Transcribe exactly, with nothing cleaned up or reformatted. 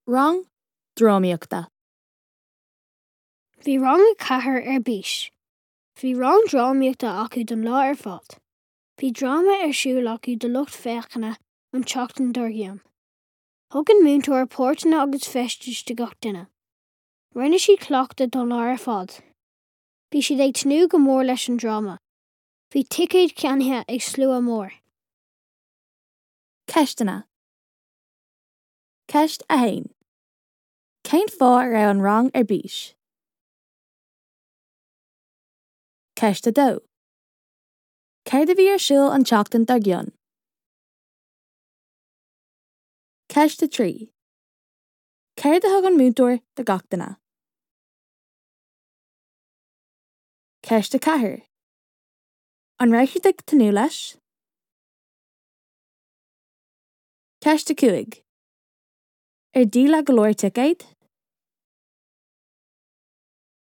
Rang drámaíochta. Bhí rang a ceathair ar bís. Bhí rang drámaíochta acu don lá ar fad. Bhí dráma ar siúl acu do lucht féachana an tseachtain dár gcionn. Thug an múinteoir páirteanna agus feistis do gach duine. Rinne siad cleachtadh don lá ar fad. Bhí siad ag tnúth go mór leis an dráma. Bhí ticéid ceannaithe ag slua mór. Ceisteanna. Ceist a haon. Cén fáth a raibh an rang ar bís? Ceist a dó. Céard a bhí ar siúl an tseachtain dár gcionn? Ceist a trí. Céard a thug an múinteoir do gach duine? Ceist a ceathair. An raibh siad ag tnúth leis? Ceist a cúig. Ar díoladh go leor ticéad?